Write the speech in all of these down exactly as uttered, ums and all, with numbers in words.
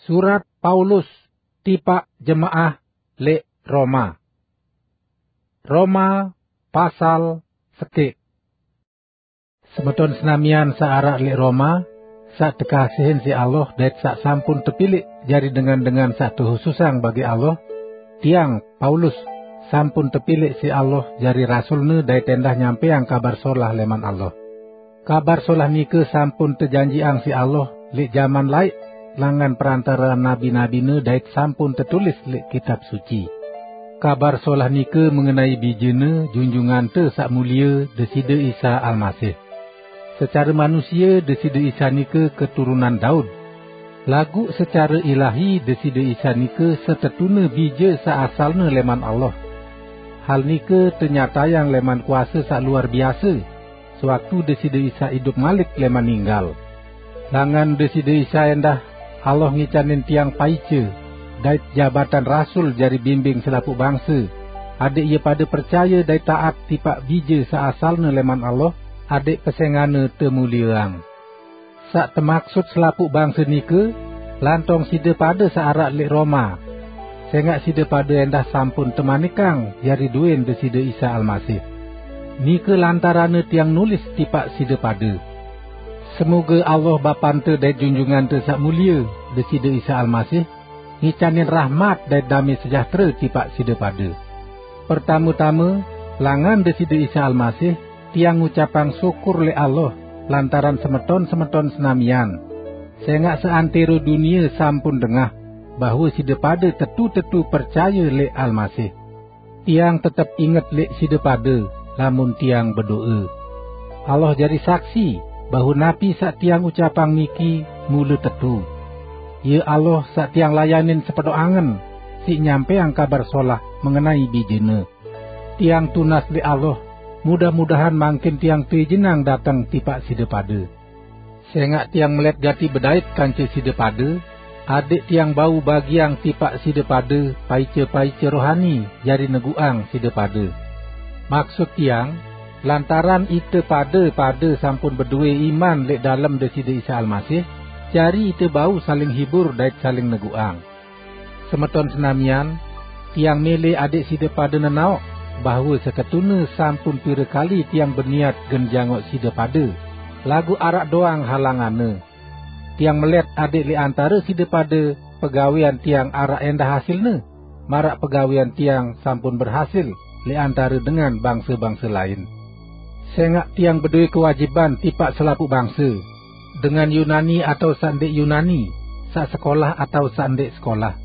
Surat Paulus tipaq jemaah leq Roma. Roma pasal sekeq. Semeton senamian saq araq leq Roma, saq tekasihin siq Allah dait saq sampun tepilih jari dengan-dengan saq tehususang bagi Allah, tiang, Paulus, sampun tepilih siq Allah jari rasulne dait endah nyampeang Kabar Solah leman Allah. Kabar Solah nike sampun tejanjiqang siq Allah leq jaman laeq langan perantarean nabi-nabine dait sampun tetulis leq Kitab Suci. Kabar Solah nike mengenai Bijene, Junjungante Saq Mulie, Deside Isa Almasih. Secare manusie, Deside Isa nike keturunan Daud. Laguq secare ilahi, Deside Isa nike setetune Bije saq asalne leman Allah. Hal nike tenyatayang leman kuase saq luar biase, sewaktu Deside Isa idup malik leman ninggal. Langan Deside Isa endah, Allah ngicanin tiang paice dait jabatan rasul jari bimbing selapuq bangse, adẽq ie pade percaye dait taat tipaq Bije saq asalne leman Allah, adẽq pesengane temulieang. Saq temaksut selapuq bangse nike, lantong side pade saq araq leq Roma, sengaq side pade endah sampun temanikang jari duen Deside Isa Almasih. Nike lantaranne tiang nulis tipaq side pade. Semoge Allah Bapante dait Junjungante Saq Mulie, Deside Isa Almasih, ngicanin rahmat dait dame sejahtere tipaq side pade. Pertame-tame, langan Deside Isa Almasih, tiang ngucapang syukur leq Allah lantaran semeton-semeton senamian, sengaq seantero dunie sampun dengah bahwe side pade tetu-tetu percaye leq Almasih. Tiang tetep inget leq side pade, lamun tiang bedoe. Allah jari saksi bahwe napi saq tiang ucapang niki mule tetu. Ie Allah saq tiang layanin sepedoq angen, siq nyampeang Kabar Solah mengenai Bijene. Tiang tunas leq Allah, mudah-mudahan mangkin tiang teizinang dateng tipaq side pade. Sengaq tiang melet gati bedait kance side pade, adẽq tiang bau bagiang tipaq side pade paice-paice rohani jari neguqang side pade. Maksut tiang, lantaran ite pade-pade sampun bedoe iman leq dalem Deside Isa Almasih, jari ite bau saling hibur dait saling neguqang. Semeton senamian, tiang mele adẽq side pade nenaoq bahwe setetune sampun pire kali tiang beniat gen jangoq side pade, laguq araq doang halanganne. Tiang melet adẽq leq antare side pade pegawean tiang araq endah hasilne, maraq pegawean tiang sampun berhasil leq antare dengan bangse-bangse lain. Sengaq tiang bedoe kewajiban tipaq selapuq bangse, dengan Yunani atao saq ndeq Yunani, saq sekolah atao saq ndeq sekolah.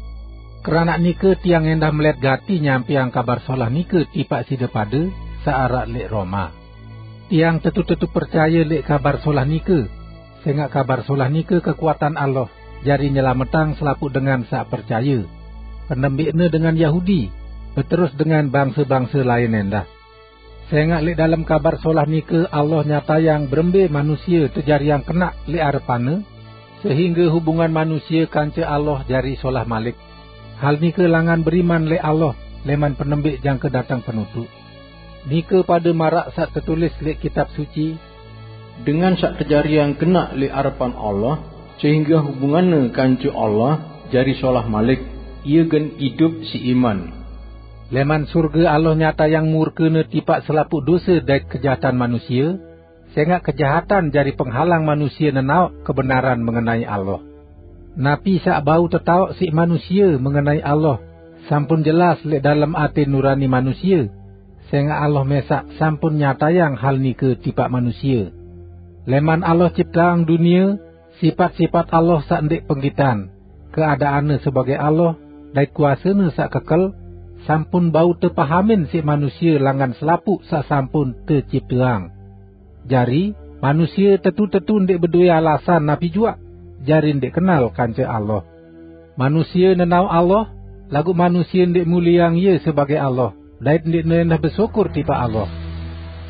Keranaq nike tiang endah melet gati nyampeang Kabar Solah nike tipaq side pade saq araq leq Roma. Tiang tetu-tetu percaye leq Kabar Solah nike, sengaq Kabar Solah nike kekuatan Allah jari nyelametang selapuq dengan saq percaye, penembiqne dengan Yahudi, beterus dengan bangse-bangse lain endah. Sengaq leq dalem Kabar Solah nike Allah nyatayang berembe manusie tejariang kenaq leq arepan-Ne, sehingge hubungan manusie kance Allah jari solah malik. Hal nike langan beriman leq Allah leman penembiq jangke dateng penutuq. Nike pade maraq saq tetulis leq Kitab Suci, "Dengan saq tejariang kenaq leq arepan Allah, sehingge hubunganne kance Allah jari solah malik, ie gen idup siq iman." Leman surge Allah nyatayang murke-Ne tipaq selapuq dose dait kejahatan manusie, sengaq kejahatan jari penghalang manusie nenaoq kebenaran mengenai Allah. Napi saq bau tetaoq siq manusie mengenai Allah, sampun jelas leq dalem ate nurani manusie, sengaq Allah mesaq sampun nyatayang hal nike tipaq manusie. Leman Allah cipteang dunie, sipat-sipat Allah saq ndeq penggitan, keadaanne sebage Allah, dait kuasene saq kekel, sampun bau tepahamin siq manusie langan selapuq saq sampun tecipteang. Jari, manusie tetu-tetu ndeq bedoe alasan napi juaq, jari ndeq kenal kance Allah. Manusie nenaoq Allah, laguq manusie ndeq mulieang Ie sebage Allah, dait ndeqne endah besyukur tipaq Allah.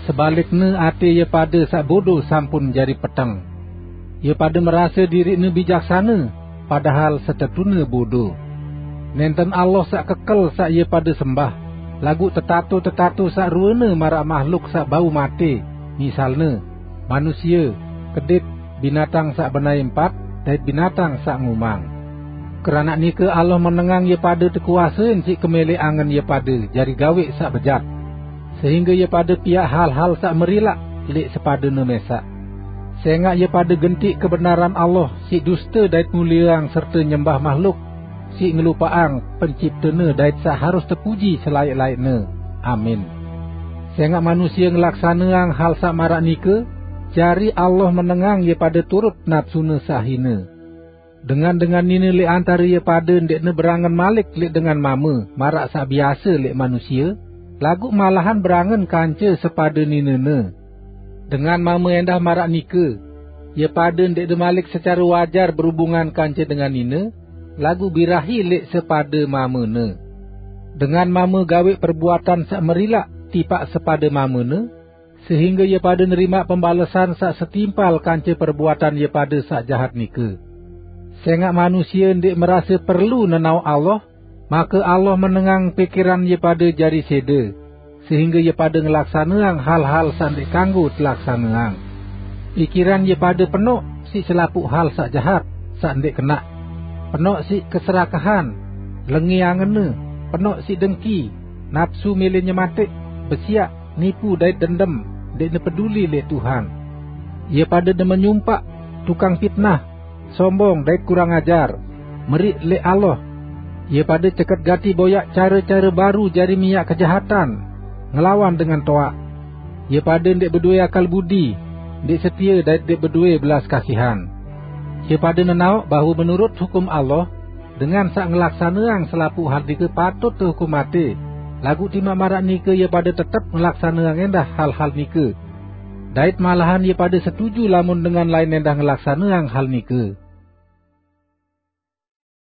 Sebalikne, ate ie pade saq bodo sampun jari peteng. Ie pade merase diriqne bijaksane, padahal setetune bodo. Nenten Allah saq kekel saq ie pade sembah, laguq tetato-tetato saq ruene maraq mahluk saq bau mate, misalne, manusie, kedit, binatang saq benai empat, dait binatang saq ngumang. Keranak nike Allah menengang ie pade tekuasein siq kemeleq angen ie pade jari gaweq saq bejat, sehingge ie pade piaq hal-hal saq merilaq leq sepadene mesaq. Sengaq ie pade gentiq kebenaran Allah siq duste dait mulieang serte nyembah mahluk siq ngelupaqang Penciptene dait saq harus tepuji selaeq-laeqne. Amin. Sengaq manusie ngelaksaneang hal saq maraq nike, jari Allah menengang ie pade turut napsune saq hine. Dengan-dengan nine leq antare ie pade ndeqne berangen malik leq dengan mame maraq saq biase leq manusie, laguq malahan berangen kance sepade ninene. Dengan mame endah maraq nike, ie pade ndeqne malik secare wajar berubungan kance dengan nine, laguq birahi leq sepade mamene. Dengan mame gaweq perbuatan saq merilaq tipaq sepade mamene, sehingge ie pade nerimaq pembalesan saq setimpal kance perbuatan ie pade saq jahat nike. Sengaq manusie ndeq merase perlu nenaoq Allah, make Allah menengang pikiran ie pade jari sede, sehingge ie pade ngelaksaneang hal-hal saq ndeq kanggo telaksaneang. Pikiran ie pade penoq siq selapuq hal saq jahat, saq ndeq kenaq, penoq siq keserakahan, lenge angenne, penoq siq dengki, napsu mele nyemateq, besiaq, nipu dait dendem, ndeqne peduli leq Tuhan. Ie pade demen nyumpaq, tukang pitnah, sombong dait kurang ajar, meriq leq Allah. Ie pade ceket gati boyaq care-care baru jari miaq kejahatan, ngelawan dengan toaq. Ie pade ndeq bedoe akal budi, ndeq setie dait ndeq bedoe belas kasihan. Ie pade nenaoq bahwe menurut hukum Allah, dengan saq ngelaksaneang selapuq hal nike patut tehukum mate, laguq timaq maraq nike ie pade tetep ngelaksaneang endah hal-hal nike. Dait malahan ie pade setuju lamun dengan lain endah ngelaksaneang hal nike.